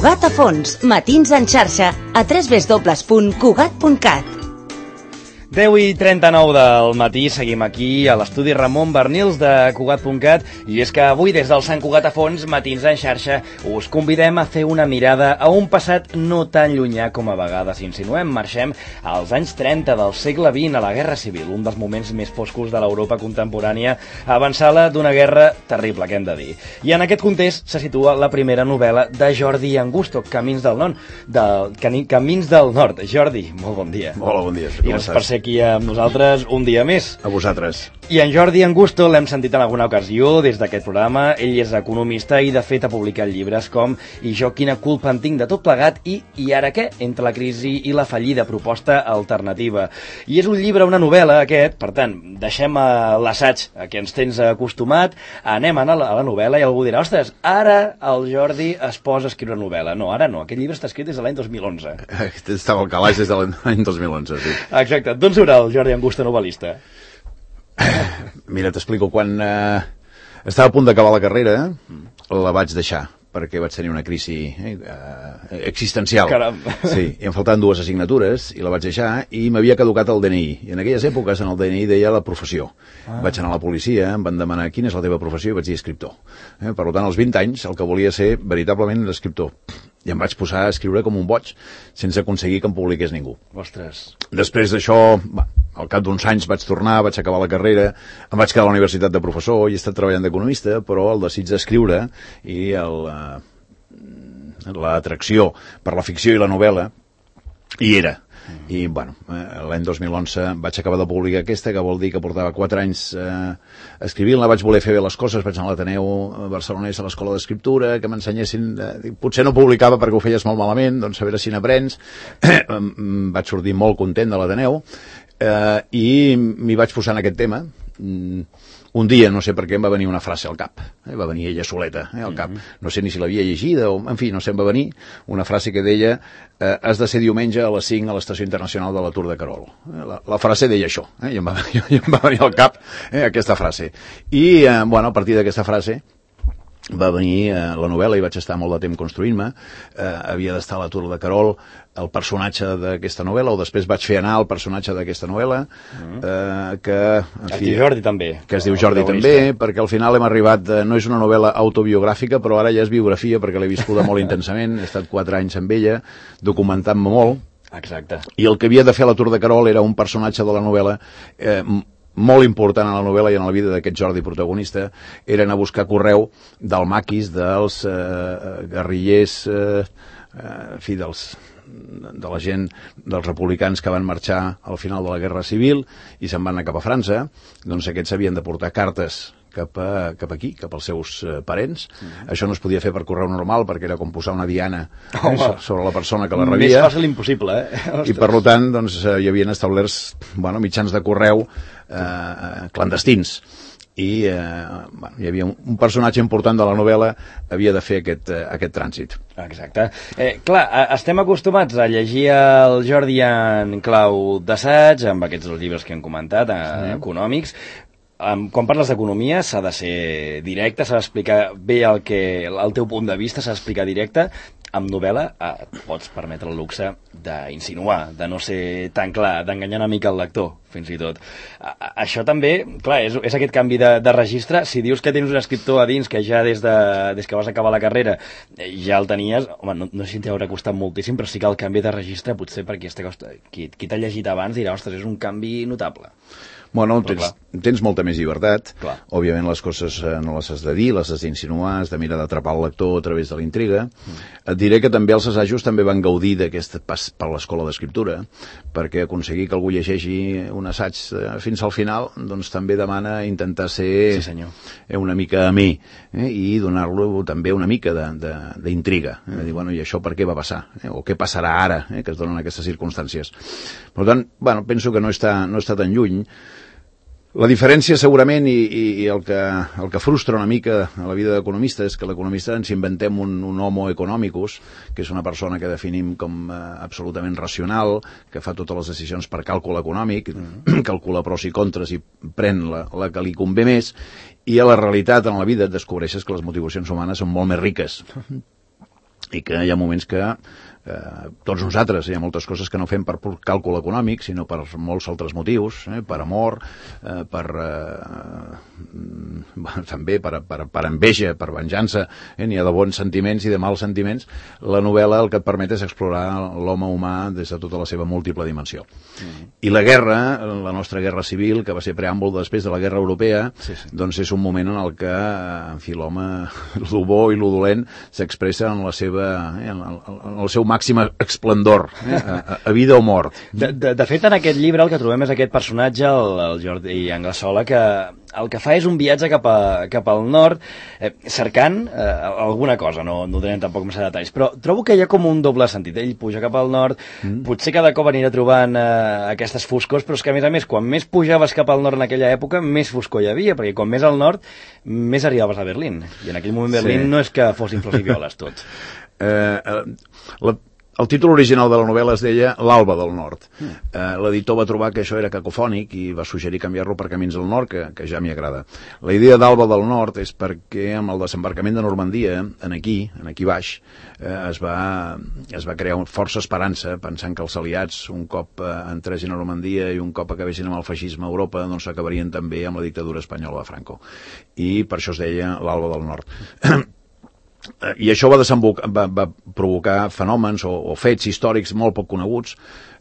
Cugat a fons, matins en xarxa, a www.cugat.cat. 10:39 del matí, seguim aquí a l'estudi Ramon Bernils de Cugat.cat i és que avui des del Sant Cugat a fons, matins en xarxa, us convidem a fer una mirada a un passat no tan llunyà com a vegades insinuem. Marxem als anys 30 del segle XX, a la Guerra Civil, un dels moments més foscos de l'Europa contemporània, avançada d'una guerra terrible, que hem de dir. I en aquest context se situa la primera novel·la de Jordi Angusto, Camins del Nord. Jordi, molt bon dia. Hola, bon dia. I gràcies per ser aquí amb nosaltres un dia més. A vosaltres. I en Jordi Angusto l'hem sentit en alguna ocasió des d'aquest programa. Ell és economista i de fet ha publicat llibres com I jo quina culpa en tinc de tot plegat i ara què? Entre la crisi i la fallida, proposta alternativa. I és un llibre, una novel·la aquest, per tant, deixem l'assaig a què ens tens acostumat, anem a la novel·la i algú dirà, ostres, ara el Jordi es posa a escriure novel·la. No, ara no, aquest llibre està escrit des de l'any 2011. Estava al calaix des de l'any 2011, sí. Exacte, d'on surt el Jordi Angusto novel·lista? Mira, t'explico, quan estava a punt d'acabar la carrera, la vaig deixar, perquè vaig tenir una crisi existencial. Caram. Sí, i em faltaven 2 assignatures, i la vaig deixar, i m'havia caducat el DNI. I en aquelles èpoques, en el DNI deia la professió. Vaig anar a la policia, em van demanar quina és la teva professió, i vaig dir escriptor. Per tant, als 20 anys, el que volia ser veritablement era escriptor. I em vaig posar a escriure com un boig, sense aconseguir que em publiqués ningú. Ostres. Després d'això, al cap d'uns anys vaig tornar, vaig acabar la carrera, em vaig quedar a la universitat de professor i he estat treballant d'economista, però el desig d'escriure i l'atracció per la ficció i la novel·la hi era. I, bueno, l'any 2011 vaig acabar de publicar aquesta, que vol dir que portava 4 anys escrivint-la, vaig voler fer bé les coses, vaig anar a l'Ateneu barcelonès a l'escola d'escriptura, que m'ensenyessin, potser no publicava perquè ho feies molt malament, doncs a veure si n'aprens. Vaig sortir molt content de l'Ateneu i m'hi vaig posar en aquest tema. Un dia, no sé per què, em va venir una frase al cap. Va venir ella soleta al cap. No sé ni si l'havia llegida o, en fi, no sé, em va venir una frase que deia has de ser diumenge a les 5 a l'Estació Internacional de la Tour de Carol. La frase deia això. I em va venir al cap aquesta frase. I, bueno, a partir d'aquesta frase va venir la novel·la i vaig estar molt de temps construint-me. Havia d'estar a la Tour de Carol el personatge d'aquesta novel·la, o després vaig fer anar el personatge d'aquesta novel·la, que es diu Jordi també. Que es diu Jordi també, perquè al final hem arribat, no és una novel·la autobiogràfica, però ara ja és biografia, perquè l'he viscuda molt intensament, he estat 4 anys amb ella, documentant-me molt. Exacte. I el que havia de fer a la Tour de Carol era un personatge de la novel·la molt important a la novel·la i en la vida d'aquest Jordi protagonista, era anar a buscar correu del maquis, dels guerrillers, en fi, de la gent, dels republicans que van marxar al final de la Guerra Civil i se'n van anar cap a França. Doncs aquests havien de portar cartes cap aquí, cap als seus parents. Això no es podia fer per correu normal perquè era com posar una diana sobre la persona que la rebia. Més fàcil impossible, I per tant, doncs, hi havien establerts mitjans de correu clandestins. I hi havia un personatge important de la novel·la havia de fer aquest trànsit. Exacte. Clar, estem acostumats a llegir el Jordi en clau d'assaig, amb aquests llibres que hem comentat, econòmics. Quan parles d'economia s'ha de ser directe, s'ha d'explicar bé el teu punt de vista, s'ha d'explicar directe. Amb novel·la pots permetre el luxe d'insinuar, de no ser tan clar, d'enganyar una mica el lector, fins i tot. Això també, clar, és aquest canvi de registre. Si dius que tens un escriptor a dins que ja des que vas acabar la carrera ja el tenies, home, no sé si t'haurà costat moltíssim, però sí que el canvi de registre potser perquè qui t'ha llegit abans dirà, ostres, és un canvi notable. Bueno, tens molta més llibertat. Clar. Òbviament les coses no les has de dir, les has d'insinuar, has de mirar d'atrapar el lector a través de la intriga. Et diré que també els assajos també van gaudir d'aquest pas per l'escola d'escriptura, perquè aconseguir que algú llegeixi un assaig fins al final, doncs també demana intentar ser una mica amè i donar-lo també una mica d'intriga. Dir, bueno, i això per què va passar? O què passarà ara, que es donen aquestes circumstàncies? Per tant, bueno, penso que no està tan lluny. La diferència segurament i el que frustra una mica a la vida d'economista és que l'economista ens inventem un homo economicus, que és una persona que definim com absolutament racional, que fa totes les decisions per càlcul econòmic, calcula pros i contres i pren la que li convé més, i a la realitat en la vida et descobreixes que les motivacions humanes són molt més riques. i que hi ha moments que tots nosaltres, hi ha moltes coses que no fem per pur càlcul econòmic, sinó per molts altres motius, per amor, també per enveja, per venjança, n'hi ha de bons sentiments i de mals sentiments. La novel·la el que et permet és explorar l'home humà des de tota la seva múltiple dimensió. I la guerra, la nostra guerra civil, que va ser preàmbul després de la guerra europea, doncs és un moment en el que, en fi, l'home, lo bo i lo dolent, s'expressa en la seva, en el seu màxim esplendor, a vida o mort. De fet, en aquest llibre el que trobem és aquest personatge, el Jordi Anglesola, que el que fa és un viatge cap al nord, cercant alguna cosa, no donem tampoc massa detalls, però trobo que hi ha com un doble sentit. Ell puja cap al nord, potser cada cop anirà trobant aquestes foscors, però és que, a més, quan més pujaves cap al nord en aquella època, més foscor hi havia, perquè com més al nord, més arribaves a Berlín. I en aquell moment Berlín no és que fossin flors i violes tots. El títol original de la novel·la es deia L'Alba del Nord. L'editor va trobar que això era cacofònic i va suggerir canviar-lo per Camins del Nord, que ja m'hi agrada. La idea d'Alba del Nord és perquè amb el desembarcament de Normandia, aquí baix, es va crear força esperança, pensant que els aliats, un cop entressin a Normandia i un cop acabessin amb el feixisme a Europa, doncs acabarien també amb la dictadura espanyola de Franco. I per això es deia L'Alba del Nord. I això va provocar fenòmens o fets històrics molt poc coneguts.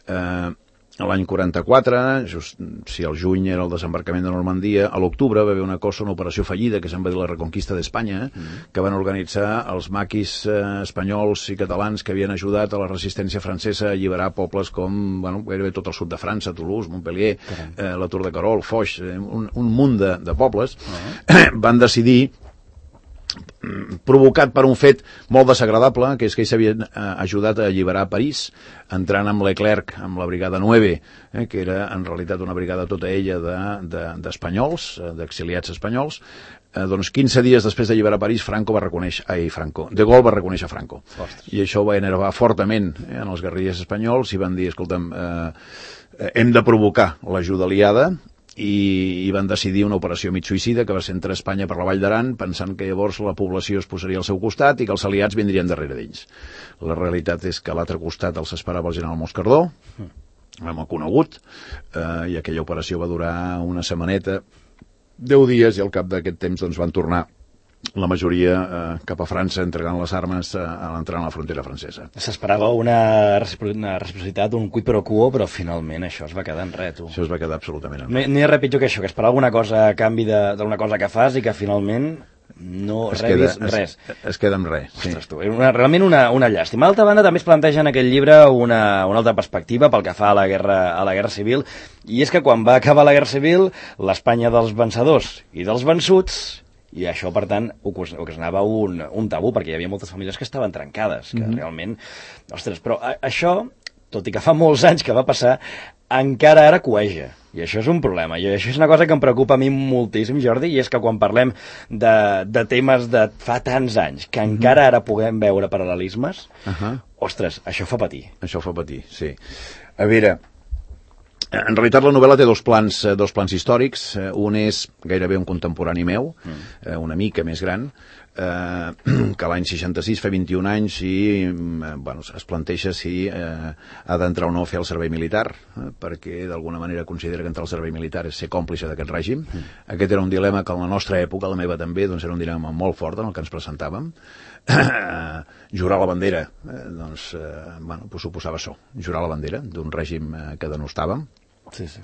L'any 44, just si el juny era el desembarcament de Normandia, a l'octubre va haver una operació fallida que se'n va dir la Reconquista d'Espanya, que van organitzar els maquis espanyols i catalans que havien ajudat a la resistència francesa a alliberar pobles com gairebé tot el sud de França, Toulouse, Montpellier, la Tour de Carol, Foix, un munt de pobles. Van decidir, provocat per un fet molt desagradable, que és que ells s'havien ajudat a alliberar París, entrant amb Leclerc, amb la brigada 9, que era en realitat una brigada tota ella d'espanyols, d'exiliats espanyols. Doncs 15 dies després d'alliberar París, De Gaulle va reconèixer Franco. I això va enervar fortament en els guerrillers espanyols i van dir, escolta'm, hem de provocar l'ajuda aliada, i van decidir una operació mig suïcida que va ser entre Espanya per la Vall d'Aran, pensant que llavors la població es posaria al seu costat i que els aliats vindrien darrere d'ells. La realitat és que a l'altre costat els esperava el general Moscardó, l'hem conegut, i aquella operació va durar una setmaneta, 10 dies, i al cap d'aquest temps doncs, van tornar la majoria cap a França, entregant les armes a l'entrar en la frontera francesa. S'esperava una reciprocitat, un quid pro quo, però finalment això es va quedar en res, tu. Això es va quedar absolutament en res. No hi ha res pitjor que això, que esperava alguna cosa a canvi d'una cosa que fas i que finalment no rebis res. Es queda en res, sí. Ostres, tu, realment una llàstima. D'altra banda, també es planteja en aquest llibre una altra perspectiva pel que fa a la guerra civil, i és que quan va acabar la guerra civil, l'Espanya dels vencedors i dels vençuts, i això, per tant, ocasionava un tabú, perquè hi havia moltes famílies que estaven trencades, que realment... Ostres, però això, tot i que fa molts anys que va passar, encara ara cueja. I això és un problema. I això és una cosa que em preocupa a mi moltíssim, Jordi, i és que quan parlem de temes de fa tants anys, que encara ara puguem veure paral·lelismes, ostres, això fa patir. Això fa patir, sí. A veure... En realitat la novel·la té dos plans històrics. Un és gairebé un contemporani meu, una mica més gran, que l'any 66 fa 21 anys i es planteja si ha d'entrar o no a fer el servei militar, perquè d'alguna manera considera que entrar al servei militar és ser còmplice d'aquest règim. Aquest era un dilema que en la nostra època, la meva també, doncs era un dilema molt fort en el que ens presentàvem. Jurar la bandera suposava això, jurar la bandera d'un règim que denostàvem. Sí, sí.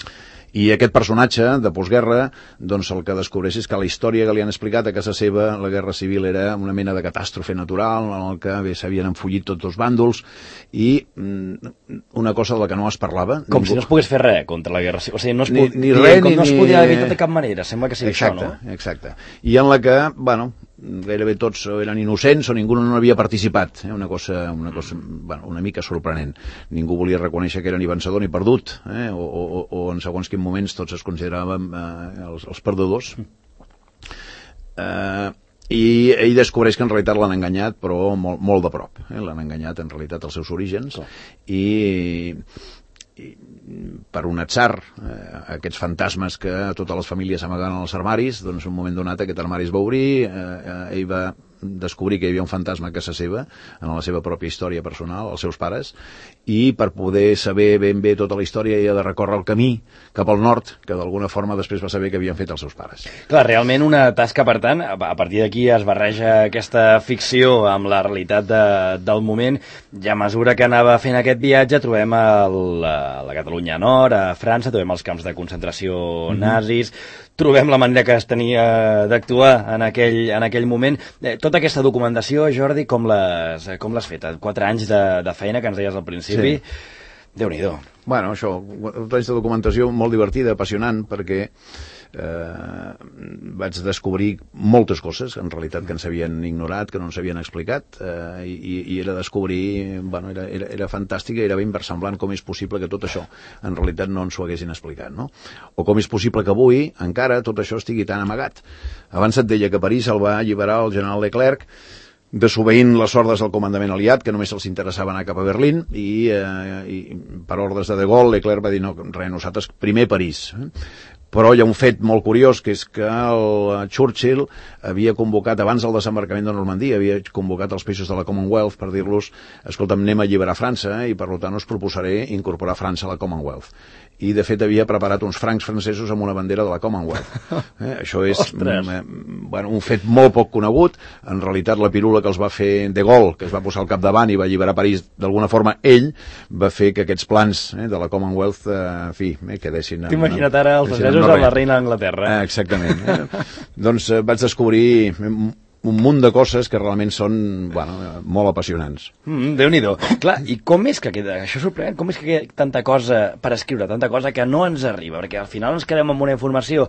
I aquest personatge de postguerra, doncs el que descobreix és que la història que li han explicat a casa seva, la guerra civil era una mena de catàstrofe natural en el que s'havien enfollit tots els bàndols i una cosa de la que no es parlava. Com si no es pogués fer res contra la guerra civil. O sigui, no es podia evitar de cap manera. Sembla que sigui això, no? Exacte. I en la que, gairebé tots eren innocents o ningú no havia participat, una cosa una mica sorprenent. Ningú volia reconèixer que era ni vencedor ni perdut, o en segons quins moments tots es consideràvem els perdedors. I ell descobreix que en realitat l'han enganyat, però molt de prop. L'han enganyat en realitat als seus orígens. I per un atzar, aquests fantasmes que totes les famílies amagaven als armaris, doncs en un moment donat aquest armari es va obrir, ell va descobrir que hi havia un fantasma a casa seva, en la seva pròpia història personal, els seus pares, i per poder saber ben bé tota la història i de recórrer el camí cap al nord, que d'alguna forma després va saber que havien fet els seus pares. Clar, realment una tasca, per tant, a partir d'aquí es barreja aquesta ficció amb la realitat del moment, i a mesura que anava fent aquest viatge trobem la Catalunya Nord, a França, trobem els camps de concentració nazis, trobem la manera que es tenia d'actuar en aquell moment. Tota aquesta documentació, Jordi, com l'has fet? 4 anys de feina que ens deies al principi. Sí. Déu-n'hi-do. Bueno, això, 4 anys de documentació molt divertida, apassionant, perquè vaig descobrir moltes coses, en realitat, que ens havien ignorat, que no ens havien explicat, i era descobrir, bueno, era fantàstic, era ben versemblant com és possible que tot això, en realitat, no ens ho haguessin explicat, no? O com és possible que avui, encara, tot això estigui tan amagat. Abans et deia que París el va alliberar el general Leclerc, desobeint les ordres del comandament aliat, que només els interessava anar cap a Berlín, i per ordres de Gaulle, Leclerc va dir, no, res, nosaltres primer París. Però hi ha un fet molt curiós, que és que el Churchill havia convocat, abans del desembarcament de Normandia, havia convocat els països de la Commonwealth per dir-los, escolta'm, anem a alliberar França, i per tant us proposaré incorporar França a la Commonwealth. I, de fet, havia preparat uns francs francesos amb una bandera de la Commonwealth. Això és un fet molt poc conegut. En realitat, la pirula que els va fer de Gaulle, que es va posar al capdavant i va alliberar París, d'alguna forma, ell va fer que aquests plans de la Commonwealth, en fi, quedessin... T'imagina't ara els francesos amb la reina d'Anglaterra. Exactament. Doncs vaig descobrir un munt de coses que realment són, molt apassionants. Déu-n'hi-do. Clar, i com és que queda, això és sorprenent, com és que queda tanta cosa per escriure, tanta cosa que no ens arriba, perquè al final ens quedem amb una informació.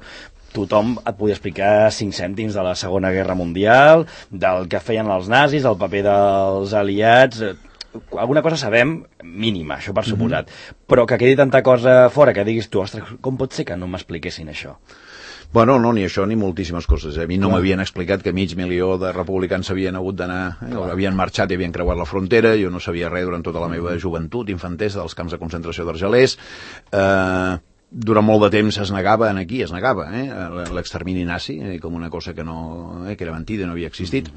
Tothom et podia explicar 5 cèntims de la Segona Guerra Mundial, del que feien els nazis, del paper dels aliats... Alguna cosa sabem, mínima, això per suposat, però que quedi tanta cosa fora que diguis tu, ostres, com pot ser que no m'expliquessin això? Bueno, no, ni això ni moltíssimes coses. A mi no m'havien explicat que 500.000 de republicans havien hagut d'anar, havien marxat i havien creuat la frontera, jo no sabia res durant tota la meva joventut, infantesa, dels camps de concentració d'Argelers. Durant molt de temps es negava l'extermini nazi, com una cosa que era mentida, no havia existit.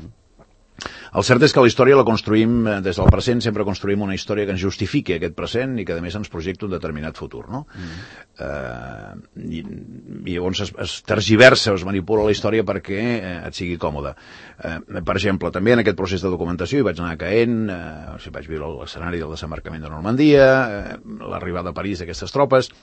El cert és que la història la construïm des del present, sempre construïm una història que ens justifiqui aquest present i que a més ens projecta un determinat futur, no? I llavors es tergiversa o es manipula la història perquè et sigui còmode. Per exemple, també en aquest procés de documentació hi vaig anar caent, vaig viure l'escenari del desembarcament de Normandia, l'arribada a París d'aquestes tropes,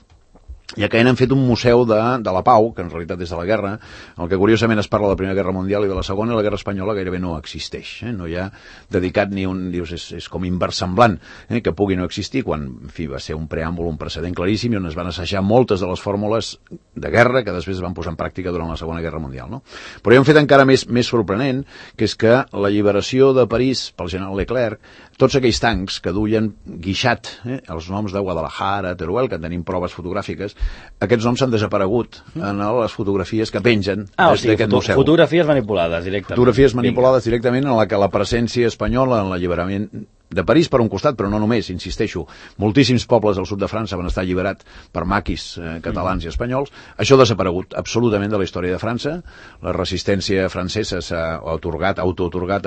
i a Caen han fet un museu de la pau, que en realitat des de la guerra, el que curiosament es parla de la Primera Guerra Mundial i de la Segona, la Guerra Espanyola gairebé no existeix. No hi ha dedicat ni un... Dius, és com inversemblant que pugui no existir, quan, en fi, va ser un preàmbul, un precedent claríssim, i on es van assajar moltes de les fórmules de guerra que després es van posar en pràctica durant la Segona Guerra Mundial. No? Però hi ha un fet encara més sorprenent, que és que l'alliberació de París pel general Leclerc, tots aquells tancs que duien guixat els noms de Guadalajara, Teruel, que en tenim proves fotogràfiques, aquests noms han desaparegut en les fotografies que pengen d'aquest museu. Fotografies manipulades directament. Fotografies manipulades directament en la que la presència espanyola en l'alliberament de París per un costat, però no només, insisteixo, moltíssims pobles del sud de França van estar alliberats per maquis catalans i espanyols. Això ha desaparegut absolutament de la història de França. La resistència francesa s'ha autoatorgat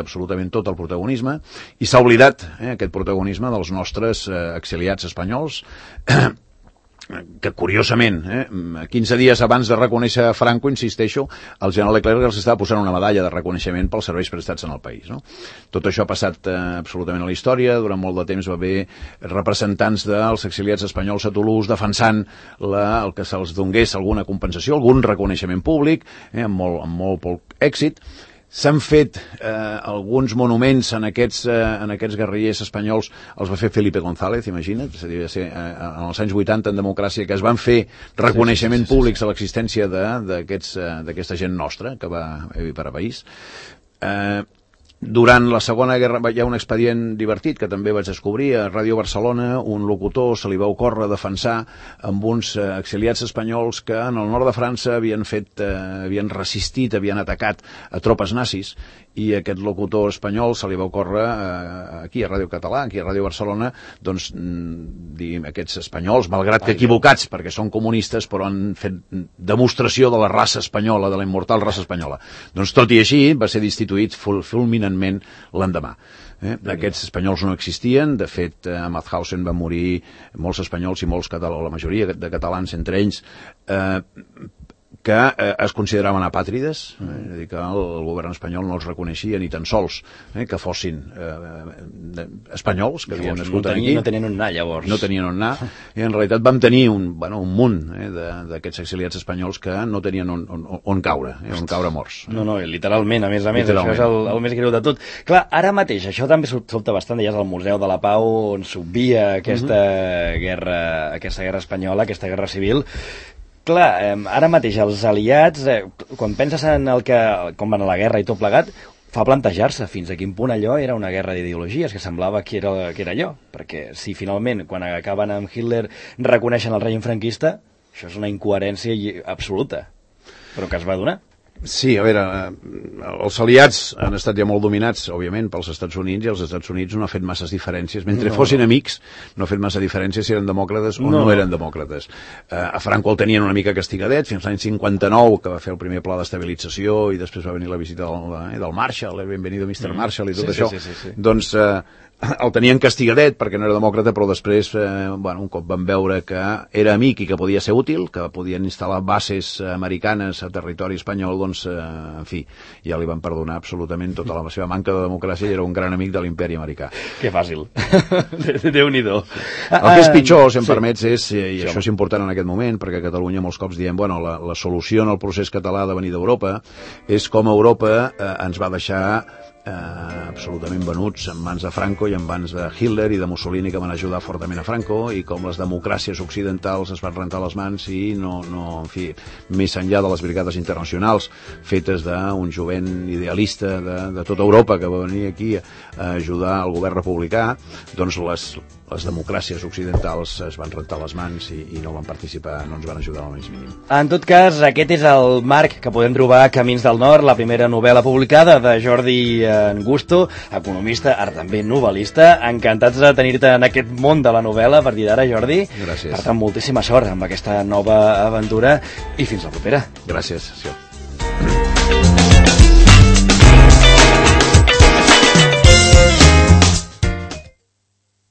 absolutament tot el protagonisme i s'ha oblidat aquest protagonisme dels nostres exiliats espanyols, que curiosament, 15 dies abans de reconèixer Franco, insisteixo, el general Leclerc els estava posant una medalla de reconeixement pels serveis prestats en el país. No? Tot això ha passat absolutament a la història. Durant molt de temps va haver representants dels exiliats espanyols a Toulouse defensant el que se'ls donés alguna compensació, algun reconeixement públic, amb molt poc èxit. S'han fet alguns monuments en aquests guerrillers espanyols, els va fer Felipe González, imagina't, en els anys 80 en democràcia, que es van fer reconeixement públics a l'existència d'aquesta gent nostra que va per a país. Durant la Segona Guerra hi ha un expedient divertit que també vaig descobrir a Ràdio Barcelona. Un locutor se li va ocórrer defensar amb uns exiliats espanyols que en el nord de França havien resistit, havien atacat a tropes nazis i aquest locutor espanyol se li va ocórrer aquí a Ràdio Català, aquí a Ràdio Barcelona, doncs, diguem, aquests espanyols, malgrat que equivocats, perquè són comunistes, però han fet demostració de la raça espanyola, de la immortal raça espanyola. Doncs tot i així va ser destituït fulminantment l'endemà. Aquests espanyols no existien, de fet a Mauthausen van morir molts espanyols i molts catalans, la majoria de catalans entre ells, que es consideraven apàtrides, és a dir, que el govern espanyol no els reconeixia ni tan sols que fossin espanyols, que havien nascut aquí. No tenien on anar, llavors. No tenien on anar, i en realitat vam tenir un munt d'aquests exiliats espanyols que no tenien on caure, on caure morts. No, literalment, a més, això és el més greu de tot. Clar, ara mateix, això també sobta bastant, ja és el Museu de la Pau, on s'obvia aquesta guerra espanyola, aquesta guerra civil. Clar, ara mateix els aliats, quan penses en com van a la guerra i tot plegat, fa plantejar-se fins a quin punt allò era una guerra d'ideologies, que semblava que era allò. Perquè si finalment, quan acaben amb Hitler, reconeixen el règim franquista, això és una incoherència absoluta, però que es va donar. Sí, a veure, els aliats han estat ja molt dominats, òbviament, pels Estats Units, i els Estats Units no ha fet masses diferències. Mentre fossin amics, no ha fet massa diferències si eren demòcrates o no eren demòcrates. A Franco el tenien una mica castigadet, fins l'any 59, que va fer el primer pla d'estabilització, i després va venir la visita del Marshall, el benvenido Mr. Marshall i tot això. Doncs el tenien castigadet perquè no era demòcrata, però després, un cop van veure que era amic i que podia ser útil, que podien instal·lar bases americanes a territori espanyol, doncs, en fi, ja li van perdonar absolutament tota la seva manca de democràcia i era un gran amic de l'imperi americà. Que fàcil. Déu-n'hi-do. El que és pitjor, si em permets, i això és important en aquest moment, perquè a Catalunya molts cops diem, la solució en el procés català de venir d'Europa és com Europa ens va deixar absolutament venuts en mans de Franco i en mans de Hitler i de Mussolini, que van ajudar fortament a Franco, i com les democràcies occidentals es van rentar les mans i en fi, més enllà de les brigades internacionals fetes d'un jovent idealista de tota Europa que va venir aquí a ajudar el govern republicà, doncs les democràcies occidentals es van rentar les mans i no van participar, no ens van ajudar al més mínim. En tot cas, aquest és el marc que podem trobar a Camins del Nord, la primera novel·la publicada de Jordi Angusto, economista, ara també novel·lista. Encantats de tenir-te en aquest món de la novel·la a partir d'ara, Jordi. Gràcies. Per tant, moltíssima sort amb aquesta nova aventura i fins la propera. Gràcies. Sí.